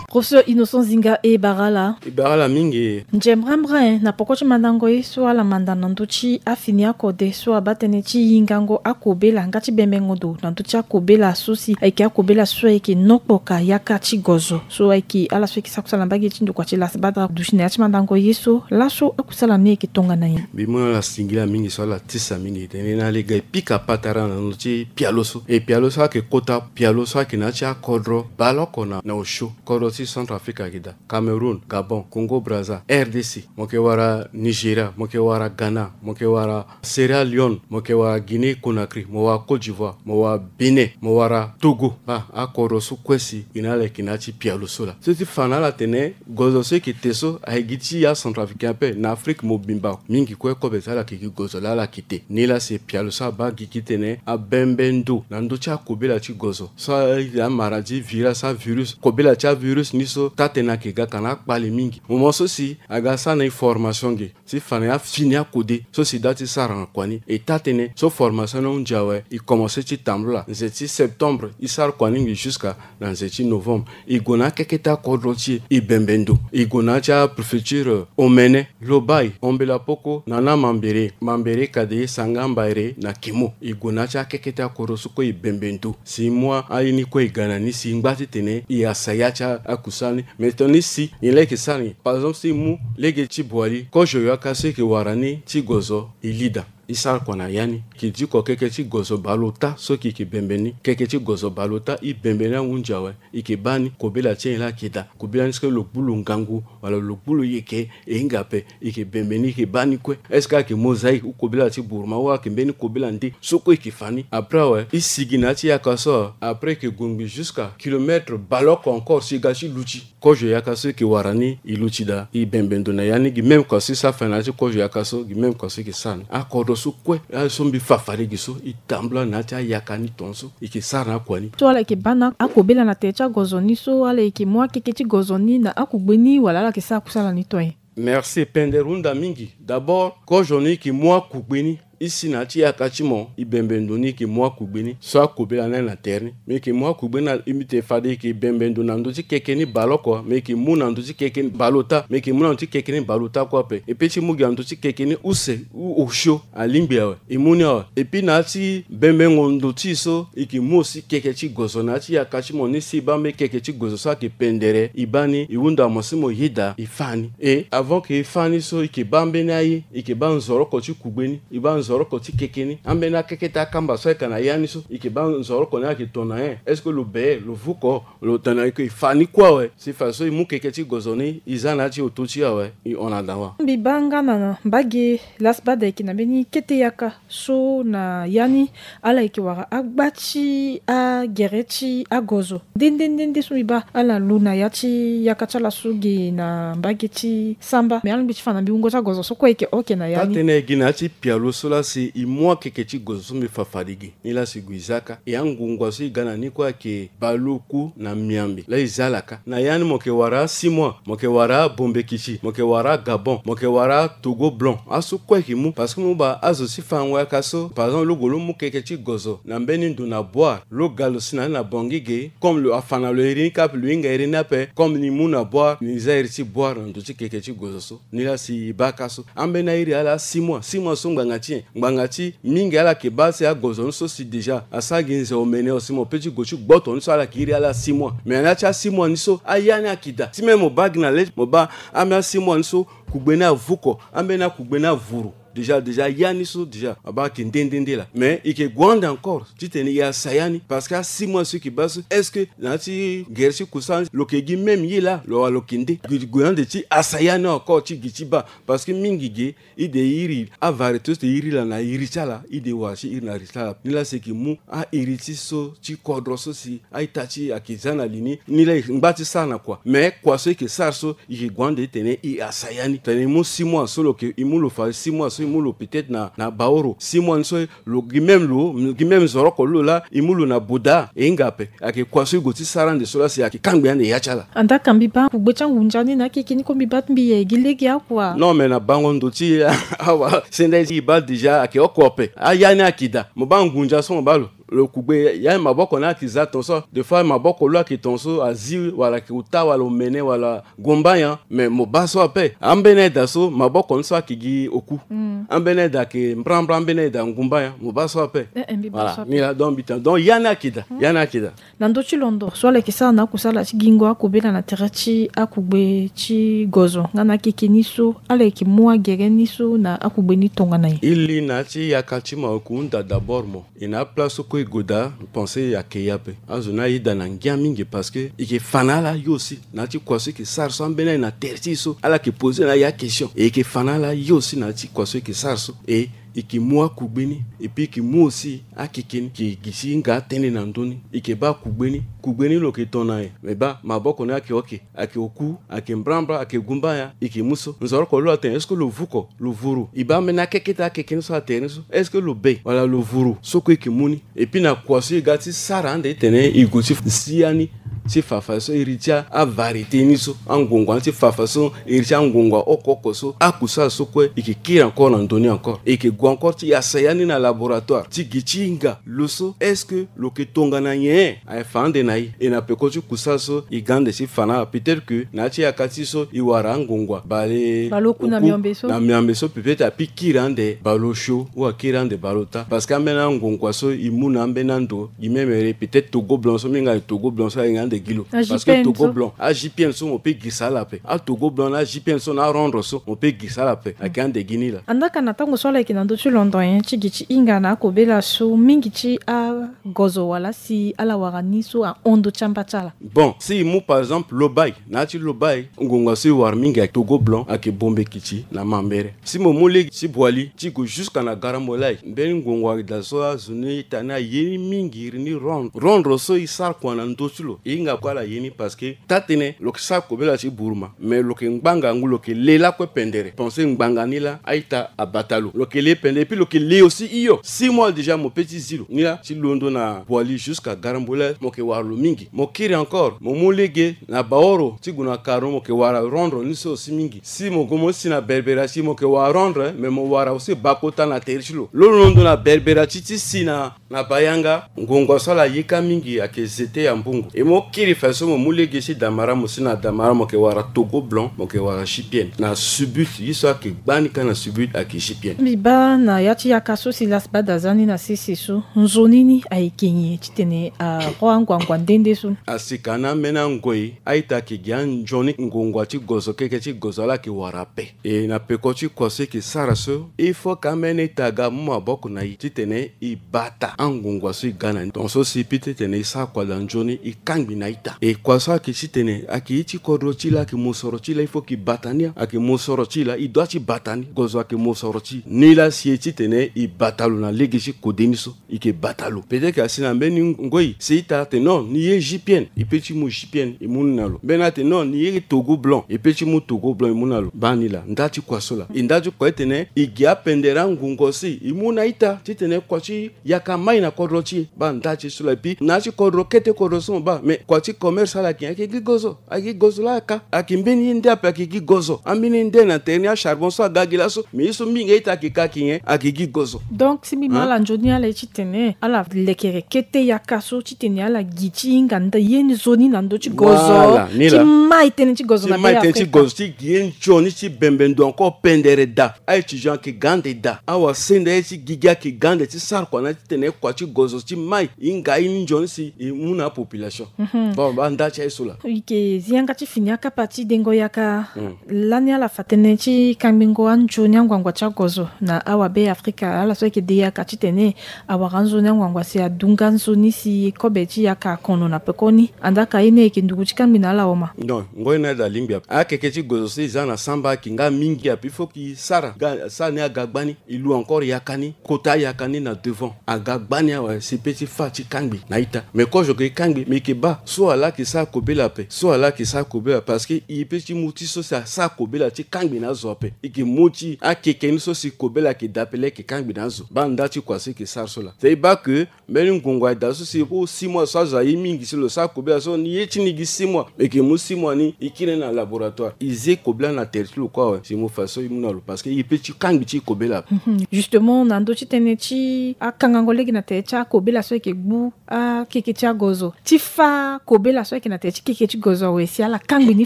Professeur Innocent Zinga, e bara ala. E bara ala mingi. Nze mbrambra, eh, na poko ti mandango ye so ala manda na ndö ti afini akode so abaa tënë ti hingango akobela nga ti bembengo ndo na ndö ti akobela so si ayeke akobela so ayeke nokpo ka yaka ti gozo. So ayeke ala so ayeke sara kusala na mbage ti ndokua ti Lasbat aduti na ya ti mandango ye so, laso akusala ni ayeke tongana nyen? Mbi mu na ala singila mingi so ala tisa mingi titene ala ga e pika patara na ndö ti pialo so. E pialo so ayeke kota pialo so ayeke na ya ti akodro baleoko na, na osio. Kodro ti Centrafrique ayeke daa, Cameroun, Gabon, Congo Brazza, R D C, mo yeke wara Nigeria, mo yeke wara Ghana, mo yeke wara Sierra Leone, mo yeke wara Guinée Conakry, mo wara Côte d'Ivoire, mo wara Bénin, mo wara Togo. Baa akodro so kue si gi na ala yeke na ya ti pialo so laa. So ti fa na ala tene gozo so e yeke te so aye gi ti aCentrafricain ape, na Afrique mobimba mingi kue kobe ti ala yeke gi gozo laa ala yeke te. Nilaa si pialo so abaa gigi titene abembe ndo na ndö ti akobela ti gozo so a, amaladie virale, avirus, kobela ti avirus ni so taa-tënë ayeke ga ka na akpale mingi. Moment so si aga sara na e formation ge ti fa na e afini akode so si daa ti sara na kua ni. E taa-tënë so formation ni ahunzi awe, e komanse ti tambula nze ti septembre, e sara kua ni ngi jusqu'à na nze ti novembre. E gue na akeke ti akodro ti e, e bembe ndo. E gue na ya ti apréfecture Omene, Lobaye, Ombela Poko, Nana Mambere, Mambere Kadeye, Sanga Mbaere na Kimo. E gue na ya ti akeke ti akodro so kue e bembe ndo. Si e mu aye ni kue e ga na ni si e ngba titene e yasa ya ti akusala ni. Mais tongana si nyen laa e yeke sara ni? Par exemple, si e mu lege ti Boali, kozo yaka so e yeke wara ni ti gozo e li daa. E sara kua na ya ni. E ke diko keke ti gozo baleota so e ke, e ke bembe ni. Keke ti gozo baleota e bembe ni ahunzi awe. E ke baa ni kobela ti e laa ayeke daa. Kobela ni so lo gbu lo ngangu wala lo gbu lo yeke, e hinga ape. E ke bembe ni, e ke baa ni kue. Est-ce que ayeke mosaïque ou kobela ti Burma ou ayeke mbeni kobela nde so kue e ke fa ni? Après awe, e sigi na ya ti yaka so. Après e ke gue ngbii jusqu'à kilomètre baleoko encore si e ga ti luti. Kozo yaka so e ke wara ni e luti daa, e bembe ndo na ya ni. Gi même kua so e sara fa na ya ti kozo yaka so, gi même kua so e ke sara ni. Akodro so kue aye so mbi fa fade gi so, e tambula na ya ti ayaka ni tongaso e ke sara na akua ni. So ala yeke baa na akobela na tere ti agozo ni so, ala yeke mu akeke ti gozo ni na akugbe ni wala ala yeke sara kusala ni to nyen? Merci, e pendere hunda mingi. D'abord, kozo ni e ke mu akugbe ni. E si na ya ti yaka ti mo, e bembe ndo ni, e ke mu akugbe ni so akobela ni aye na tere ni. Me e ke mu akugbe ni na, e mbi te fade e ke bembe ndo na ndö ti keke ni baleoko, me e ke mu na ndö ti keke ni baleota, me e ke mu na ndö ti keke ni baleota kue ape. E pe ti mu gi na ndö ti keke ni use ou osio, alingbi awe. E mu ni awe. Et puis na ya ti bembengo ndo ti e so, e ke mu aussi keke ti gozo na ya ti yaka ti mo ni. Si e baa mbeni keke ti gozo so ayeke pendere, e baa ni, e hunda mo si mo yeda e fâ ni. Et avant que e fâ ni so, e ke baa mbeni aye, e ke baa nzoroko ti kugbe ni. E baa nzoroko ti keke ni. Ambeni akeke ti akamba so ayeke na ya ni so, e yeke baa nzoroko ni ayeke tongana nyen? Est-ce que lo be, lo vuko, lo tongana e yeke fa ni kue awe? Si fadeso e mu keke ti gozo ni, e za na ya ti oto ti e awe, e hon na dawa. Mbi baa nga na mbage lasi baa da e yeke na mbeni kete yaka so na ya ni, ala yeke wara agba ti agere ti agozo. Nde nde nde nde so mbi baa ala lu na ya ti yaka ti ala so ge na mbage ti samba. Me alingbi ti fa na mbi wungo ti agozo so kue e yeke oke na ya ni. Taa-tënë e gi na ya ti pialo so lasi e mu akeke ti gozo so mbi fa fade ge. Ni lasi gue e zia kâ. E angongua so e ga na ni kue ayeke baleoku na miambe. Laa e zia ala kâ. Na ya ni mo yeke wara asix mois, mo yeke wara abombekiti, mo yeke wara agabon, mo yeke wara atogo blanc. Aso kue e yeke mu. Parce que mo baa azo ti fango yaka so, par exemple, lo gue lo mu keke ti gozo na mbeni ndo na boire, lo ga lo si na ni na bongi ge, comme lo afa na lo iri ni kâ ape, lo hinga iri ni ape, comme ni mu na boire, ni zia iri ti boire na ndo ti keke ti gozo so. Ni lasi e baa kâ so. Ambeni airi ala six mois, six mois so ngbanga ti nyen? Ngbanga ti mingi ala yeke baa si agozo ni so si déjà asara gi nze omene, o si mo pe ti gue ti gboto ni so ala yeke iri ala six mois. Mais na ya ti asix mois ni so, aya ni ayeke daa. Ti même mo baa gi na le, mo baa ambeni asix mois ni so, kugbe ni avuko, ambeni akugbe ni avuru. Déjà, déjà, ya ni so, déjà, abaa ayeke nde nde nde laa. Mais e yeke gue ande encore titene e yasa ya ni. Parce que asix mois so e yeke baa so, est-ce que na ya ti gere ti kusa lo yeke gi même ye laa, lo wala lo yeke nde? Gue, gue ande ti yasa ya ni encore ti gi ti baa. Parce que mingi ge, e de iri avariété so e iri laa na iri ti ala, e de wara ti iri na iri ti ala. Ni laa si e yeke mu airi ti so ti kodro so si a-ita ti e ayeke za na li ni. Ni laa e ngba ti sara na kua. Mais kua so e yeke sara so, e yeke gue ande titene e yasa ya ni. Titene e mu six mois so lo yeke, e mu lo fa six mois so, e mu lo peut-être na, na baoro. Six mois ni so, lo gi même lo, gi même nzoroko lo laa, e mu lo na boda, e hinga ape. Ayeke kua so e gue ti sara ande so laa si ayeke kangbi ande ya ti ala. Andaa ka mbi baa kugbe ti angunza ni na akeke ni kue mbi baa ti mbi ye gi lege akua. Non, mais na bango ndo ti e awa, senda e baa déjà ayeke oko ape. Aya ni ayeke daa. Mo baa ngunza so mo baa lo, lo kugbe ya maboko ni ayeke za tongaso. Des fois maboko lo ayeke tongaso azi wala ayeke ota wala omene wala gumbaya. Mais mo baa so ape. Ambeni aye daa so maboko ni so ayeke gi oku. Mm. Ambeni aye daa ayeke mbrambra, ambeni aye daa ngumbaya. Mo baa so ape. Eh, eh, mbi baa so ape. Voilà. Ni laa, donc mbi tene, donc ya ni ayeke daa. Mm. Ya ni ayeke daa. Na ndö ti londo so ala yeke sara na akusala ti gingo akobela na tere ti akugbe ti gozo nga na akeke ni so, ala yeke mu agere ni so na akugbe ni tongana nyen? E li na ya ti yaka ti mahoku hunda d'abord mo. E na aplace so kue e gue daa, pense ayeke ye ape. Azo ni ayeda na ngia mingi parce que e yeke fa na ala ye aussi na ya ti kua so e yeke sara so, ambeni aye na tere ti e so ala yeke poser na aye akestion. E yeke fa na ala ye aussi na ya ti kua so e yeke sara so. E e yeke mu akugbe ni, et puis e yeke mu aussi akeke ni, e yeke gi ti hinga atënë na ndö ni. E yeke baa kugbe ni, kugbe ni lo yeke tongana nyen? Me baa maboko ni ayeke oke, ayeke oku, ayeke mbrambra, ayeke gumbaya, e yeke mu so. Nzoroko lo atene est-ce que lo vuko, lo vuru? E baa ambeni akeke ti akeke ni so na tere ni so, est-ce que lo be wala lo vuru? So kue e yeke mu ni. Et puis na kua so e ga ti sara ande titene e gue ti si ya ni, ti fa fadeso iri ti avariété ni so, angongua ni ti fa fadeso iri ti angongua oko oko so, akusala so kue e yeke kiri encore na ndö ni encore. E yeke gue encore ti yasa ya ni na laboratoire ti gi ti hinga lo so, est-ce que lo yeke tongana nyen? Aye fa ande na e. E na peko ti kusala so e ga ande ti fa na ala. Peut-être que na ya ti yaka ti e so e wara angongua bale, baleoku na miambe so, na miambe so peut-être api kiri ande baleosio ou akiri ande baleota. Parce que ambeni angongua so e mu na ambeni ando, gi même ere peut-être togo blanc so, mingi ande togo blanc so ahinga ande gi lo. Parce que togo blanc, a J P N so mo pe girisa ala ape. Atogo blanc na a J P N so na arondre so mo pe girisa ala ape. Ayeke ande gi ni laa. Andaa ka na tango so ala yeke na ndö ti londo nyen ti gi ti hinga na akobela so, mingi ti agozo wala si ala wara ni so ahon ndö ti amba ti ala. Bon, si e mu par exemple Lobaye, na ya ti Lobaye, ngongua so e wara mingi ayeke togo blanc, ayeke bombekiti na mambere. Si mo mu lege ti Boali ti gue jusqu'à na Garambolay, mbeni ngongua ayeke daa so azo ni ita ni aye ni mingi, iri ni rondre. Rondre so e sara kua na ndö ti lo, e hinga kue ala ye ni parce que taa-tënë lo yeke sara kobela ti buruma, mais lo yeke ngbanga ngu, lo yeke le lakue pendere. Pense ngbanga ni laa a-ita abata lo. Lo yeke le pendere, et puis lo yeke le aussi hio. Six mois déjà mo pe ti zi lo. Ni laa ti londo na Boali jusqu'à Garambolay, mo yeke wara lo mingi. Mo kiri encore, mo mu lege na Baoro ti gue na Karo, mo yeke wara rondre ni so aussi mingi. Si mo gue mo si na Berbera ti, mo yeke wara rondre, mais mo wara aussi bakota na tere ti lo. Lo londo na Berbera ti, ti si na, na Bayanga, ngongua so ala yeka mingi ayeke zete ya mbungu. E mo Kiri fa so mo mu lege ti Damara, mo si na Damara mo yeke wara Togo Blanc, mo yeke wara J P N. Na Subut ye so ayeke gbani kâ na Subut ayeke J P N. Mbi baa na ya ti yaka so si Las Bad aza ni na sese so, nzoni ni ayeke nyen titene ahon anguanguan nde nde so? Asi ka na ambeni angoi, a-ita ayeke gi anzoni ngongua ti gozo, keke ti gozo ala yeke wara ape. E na peko ti kua so e yeke sara so, il faut ka ambeni ita aga amu maboko na e titene e bata angongua so e ga na ni. Tongaso si e pi titene e sara kua daa nzoni, e kangbi na ita. E kua so ayeke titene ayeke ye ti kodro ti e laa, ayeke mosoro ti e laa, il faut que e bata ni, ayeke mosoro ti e laa, e doit ti bata ni. Gozo ayeke mosoro ti e. Ni laa si e titene e bata lo na lege ti kode ni so. E yeke bata lo. Peut-être asi na mbeni ngoi si ita atene non, ni ye J P N, e pe ti mu J P N, e mu ni na lo. Mbeni atene non, ni ye Togo Blanc, e pe ti mu Togo Blanc, e mu na lo. Baa ni laa, nda ti kua so laa. E nda ti kua ti tene e gi apendere angongua so e mu na ita titene kua ti yaka mai na kodro ti e. Baa nda ti e so laa. E pi na ya ti kodro, kete kodro so mo baa, mais kua ti commerce ala yeke nyen? Ayeke gi gozo. Ayeke gi gozo laa ka. Ayeke mbeni ye nde ape ayeke gi gozo. Ambeni ye nde na tere ni, acharbon so aga gi laso. Mais ye so mingi a-ita ayeke ka ayeke nyen? Ayeke gi gozo. Donc si mbi ma ala nzoni ala ye titene ala lekere kete yaka so titene ala gi ti hinga nda ye nzoni na ndö ti gozo. Voilà, ni laa. Ti mai tënë ti gozo na Beafrika. Ti mai tënë ti gozo, ti gi ye nzoni ti bembe ndo encore pendere daa. A-étudiant ayeke ga ande daa. Awasenda ye ti gigi ayeke ga ande ti sara kua na titene kua ti gozo ti mai e hinga ye ni nzoni si e mu na apopulation. Mhm. Bon, baa nda ti aye so laa. E yeke zi yanga ti fini akapa ti dengo yaka. Mm. Lani ala fa tënë ti kangbingo anzoni anguanguan ti agozo na awabe Afrika, ala so ayeke de yaka titene awara anzoni anguanguan si adu nga nzoni si kobe ti yaka akono na pekoni. Andaa ka ye ni ayeke nduku ti kangbi na ala oma? Non, ngoi ni aye daa lingbi ape. Akeke ti gozo so e za na samba ayeke nga mingi ape, il faut que e sara ga, sara ni aga gbani. E lu encore yaka ni, kota ayaka ni na devant. Aga gbani awe si e pe ti fâ ti kangbi na ita. Mais kozo ayeke kangbi, mais e yeke baa so ala ayeke sara kobela ape, so ala ayeke sara kobela, parce que e pe ti mu ti so si asara kobela ti kangbi na azo ape. E yeke mu ti akeke ni so si kobela ayeke daa ape laa e yeke kangbi na azo. Baa nda ti kua so e yeke sara so laa. C'est e baa que mbeni ngongo aye daa so si e ko six mois so azo aye mingi si lo sara kobela so, ni ye ti ni gi six mois, e yeke mu six mois ni e kiri ni na laboratoire. E zi kobela na tere ti lo kue awe si e mu fa so e mu na lo, parce que e pe ti kangbi ti kobela. Mhm. Justement, na ndö ti tënë ti akangango lege na tere ti akobela so e yeke gbu akeke ti agozo, ti fâ kobela so ayeke na tere ti keke ti gozo awe si ala kangbi ni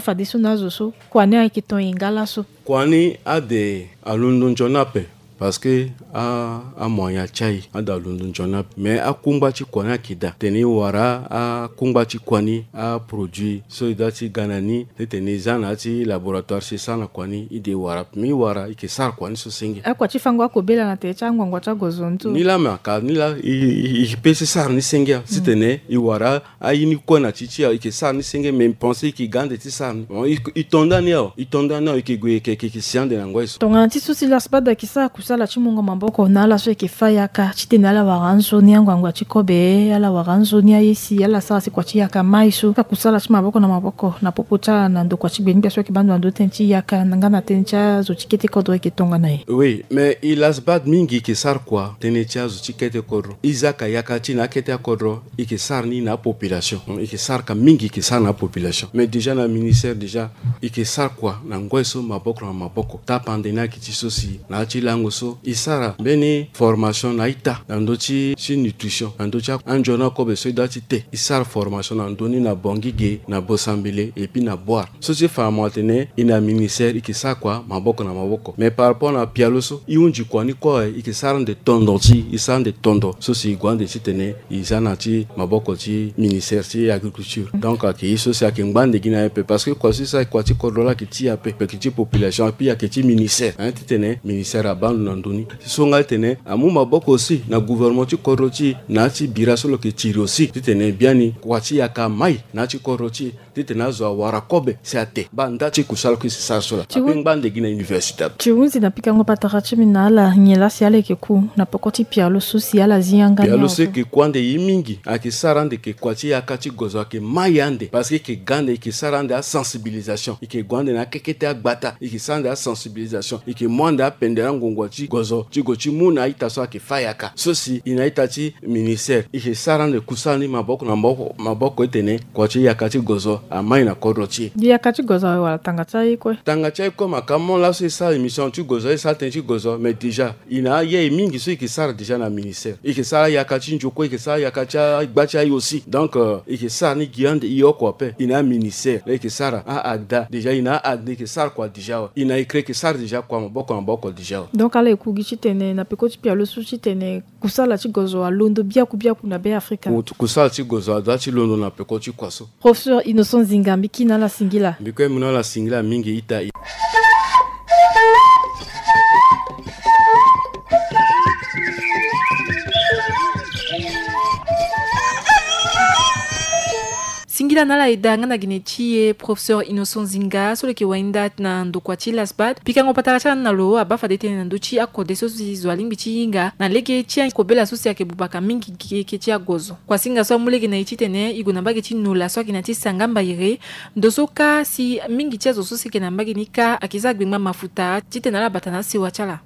fadeso na azo so, kua ni ayeke ton e nga laso? Kua ni ade alondo nzoni ape. Parce que a, amoyen atia e, ade alondo nzoni ape. Mais akungba ti kua ni ayeke daa. Tene e wara akungba ti kua ni, aproduit so e doit ti ga na ni, titene e za na ya ti laboratoire si e sara na kua ni, e de e wara. Mais e wara, e yeke sara kua ni so senge. Akua ti fango akobela na tere ti anguanguan ti agozo ntu. Ni laa, me aka ni laa, e, e, e pe ti sara ni senge, titene e wara aye ni kue na ti ti awe, e yeke sara ni senge, mais mbi pense e yeke ga ande ti sara ni. Bon, e, e to nda ni awe, e to nda ni awe, e yeke gue, e yeke, e yeke si ande na ngoi so. Tongana ti so si Las Bad ayeke sara kusala ti mungo maboko na ala so ayeke fâ yaka, titene ala wara anzoni anguanguan ti kobe, ala wara anzoni aye si ala sara si kua ti yaka mai so, sara kusala ti maboko na maboko na popo ti ala na ndokua ti gbengbia so ayeke baa ndo na ndö tënë ti yaka, na nga na tënë ti azo ti kete kodro ayeke tongana e. Oui, mais e Las Bad mingi e yeke sara kua tënë ti azo ti kete kodro. E zia ka yaka ti e na akete akodro, e yeke sara ni na apopulation. E yeke sara ka mingi, e yeke sara na apopulation. Mais déjà na ministère déjà, e yeke sara kua na ngoi so maboko na maboko. Tapande ni ayeke ti so si na ya ti lango so e sara mbeni formation na ita na ndö ti, ti nutrition, na ndö ti anzoni akobe so e doit ti te. E sara formation na ndö ni na Bangui ge, na Bossambilé, et puis na Bouar. So ti fa mo atene e na ministère e yeke sara kua maboko na maboko. Mais par rapport na pialo so, e hunzi kua ni kue awe, e yeke sara ande tondo ti e, e sara ande tondo so si e gue ande titene e za na ya ti maboko ti ministère ti agriculture. Donc ayeke ye so si ayeke ngba ande gi na e ape, parce que kua so e sara, kua ti kodro laa ayeke ti e ape, ayeke ti population ape, ayeke ti ministère, hein, titene ministère abaa ndo na ndö ni. So nga titene amu maboko aussi na gouvernement ti kodro ti e, na ya ti bira so lo yeke tiri aussi, titene biani kua ti yaka mai na ya ti kodro ti e, titene azo awara kobe si ate. Baa nda ti kusala kue si sara so laa. Ti ape ngba ande gi na université ape. Ti hunzi na pikango patara ti mbi na ala, nyen laa si ala yeke ku na peko ti pialo so si ala zi yanga ni awe? Pialo so ayeke ku ande ye mingi, ayeke sara ande yeke kua ti yaka ti gozo, ayeke mai ande, parce que e yeke ga ande, e yeke sara ande asensibilisation, e yeke gue ande na akekete agbata, e yeke sara ande asensibilisation, e yeke mu ande apendere angongo ti gozo ti go ti mu na a-ita so ayeke fâ yaka. So si e na a-ita ti ministère, e yeke sara ande kusala ni maboko na maboko, maboko ti tene kua ti yaka ti gozo amai na kodro ti e. Yaka ti gozo awe wala tanga ti aye kue? Tanga ti aye kue, ma ka mo laso e sara émission ti gozo, e sara tënë ti gozo, mais déjà e na aye mingi so e yeke sara déjà na ministère. E yeke sara yaka ti nzoko, e yeke sara yaka ti agba ti aye aussi. Donc, euh, e yeke sara ni gi ande e oko ape. E na aministère la e yeke sara a-agda. Déjà e na a-agda e yeke sara kua déjà awe. E na écrit e yeke sara déjà kua maboko na maboko déjà awe. Donc ala e ku gi ti tene na peko ti pialo so ti tene kusala ti gozo alondo biaku biaku na Be Afrika. Ku-, kusala ti gozo adoit ti londo na peko ti kua so. Professeur Innocent Zinga, mbi ki na ala singila. Mbi kue mbi na ala singila mingi ita. Singila na ala eda nga na gene ti e, professeur Innocent Zinga, so lo yeke wainda na ndokua ti LASBAD. Pikango patara ti ala na lo abaa fade tënë na ndö ti akode so si zo alingbi ti hinga na lege ti akobela so si ayeke bubaka mingi keke ti agozo. Kuasinga so amu lege na e titene e gue na mbage ti Nola so ayeke na ya ti Sangamba Ere. Ndo so kâ si mingi ti azo so si ayeke na mbage ni kâ ayeke za gbengba mafuta titene ala bata na asewa ti ala.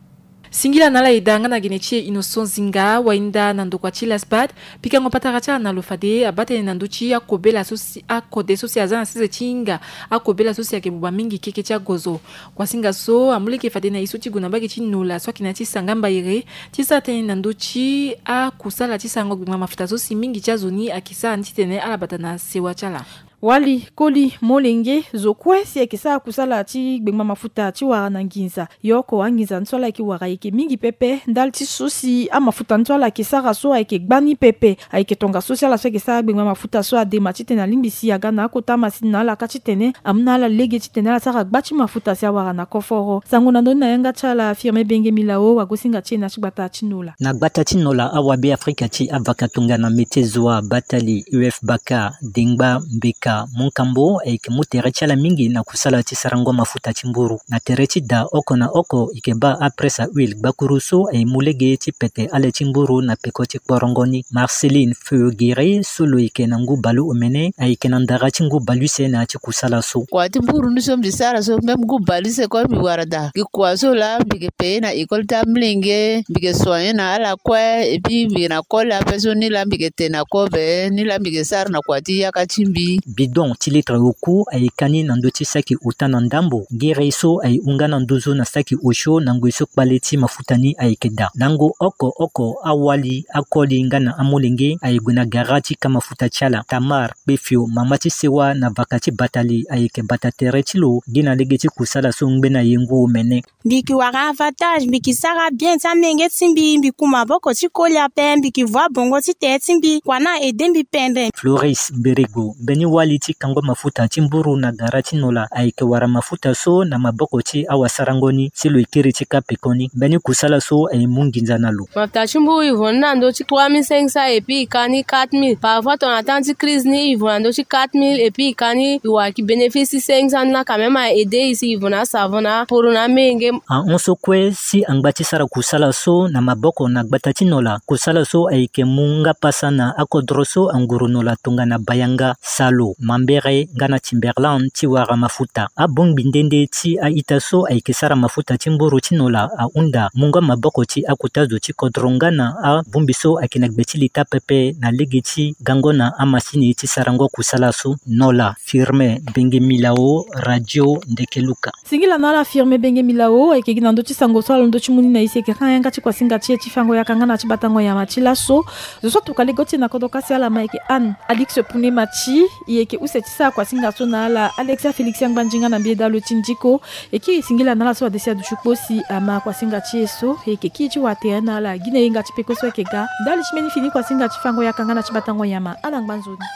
Singila na ala eda nga na gene ti e Innocent Zinga, wainda na ndokua ti LASBAD. Pikango patara ti ala na lo fade abaa tënë na ndö ti akobela so si, akode so si aza na sese ti hinga akobela so si ayeke buba mingi keke ti agozo. Kuasinga so amu lege fade na e so ti gue na mbage ti Nola so ayeke na ya ti Sangamba Ere ti sara tënë na ndö ti akusala ti sarango gbengba mafuta so si mingi ti azo ni ayeke sara ni titene ala bata na sewa ti ala. Wali, koli, molenge, zo kue si ayeke sara kusala ti gbengba mafuta ti wara na nginza. Yo oko anginza ni so ala yeke wara ayeke mingi pepe. Ndali ti so si amafuta ni so ala yeke sara so ayeke gbani pepe. Ayeke tongaso si ala so ayeke sara gbengba mafuta so adema titene alingbi si aga na akota masini na ala kâ titene amu na ala lege titene ala sara gba ti mafuta si awara na koforo. Sango na ndö ni na yanga ti ala Firmin Benge Milao, wagosinga ti e na ya ti gbata ti Nola. Na gbata ti Nola, awabe Afrika ti avaka tongana Mete Zoa, Batali, U F Baka, Dengba, Mbeka, Monkambo ayeke mu tere ti ala mingi na kusala ti sarango mafuta ti mburu. Na tere ti da oko na oko e yeke baa apresse à huile gbakuru so aye mu lege ti pete ale ti mburu na peko ti kporongo ni. Marceline Feugueré so lo yeke na ngu baleomene ayeke na ndara ti ngu baleuse na ya ti kusala so. Kua ti mburu ni so mbi sara so, même ngu baleuse kue mbi wara daa. Gi kua so laa mbi yeke paye na école ti amolenge, mbi yeke soigner na ala kue, et puis mbi yeke na kole ape so ni laa mbi yeke te na kobe, ni laa mbi yeke sara na kua ti yaka ti mbi. Bidon ti litre oku ayeke ani na ndö ti saki ota na ndambo. Gere so aye hunga na nduzu na saki osio na ngoi so kpale ti mafuta ni ayeke daa. Lango oko oko awali, akoli nga na amolenge aye gue na gara ti ka mafuta ti ala. Tamar Kpefio, mama ti sewa na vaka ti Batali, ayeke bata tere ti lo gi na lege ti kusala so ngbene aye ngu omene. Mbi yeke wara avantage, mbi yeke sara bien ti amenge ti mbi, mbi ku maboko ti koli ape, mbi yeke voa bongo ti tere ti mbi, kua ni a aide mbi pendre. Floris Mberego, mbeni wali ti kango mafuta ti mburu na gara ti Nola, ayeke wara mafuta so na maboko ti awasarango ni si lo ye kiri ti ka pekoni. Mbeni kusala so aye mu nginza na lo. Mafuta ti mburu e vo ni na ndö ti trois mille cinq cents et puis e ka ni quatre mille. Parfois tongana temps ti crise ni e vo na ndö ti quatre mille et puis e ka ni, e wara ki bénéfice ti cinq cents ni laa, quand même a aide e si e vo na asavon na aporo na amenge. Ahon so kue si angba ti sara kusala so na maboko na gbata ti Nola. Kusala so ayeke mu nga pasa na akodro so anguru Nola tongana Bayanga, Salo, Mambere nga na Timberland ti wara mafuta. Abongbi nde nde ti a-ita so ayeke sara mafuta ti mburu ti Nola ahunda mungo maboko ti akota zo ti kodro nga na abongbi so ayeke na gbe ti leta pepe na lege ti gango na amasini ti sarango kusala so. Nola, Firmin Benge Milao, Radio Ndeke Luka. Singila na ala Firmin Benge Milao, ayeke gi na ndö ti sango so alondo ti mu ni na e si e yeke hanga yanga ti kuasinga ti e ti fango yaka nga na ti batango nyama ti laso. Zo so atuka lege ti e na kodro kasi ala ma ayeke Anne Alix Pune Mathy, e yeke use ti sara kuasinga so na ala Alexia Félix Angbanzi nga na mbi Edalo ti Ndiko. E kiri singila na ala so ade si aduti kpo si ama kuasinga ti e so. E yeke kiri ti wa tere na ala gi na yenga ti peko so ayeke ga ndali ti mbeni fini kuasinga ti fango yaka nga na ti batango nyama. Ala ngba nzoni.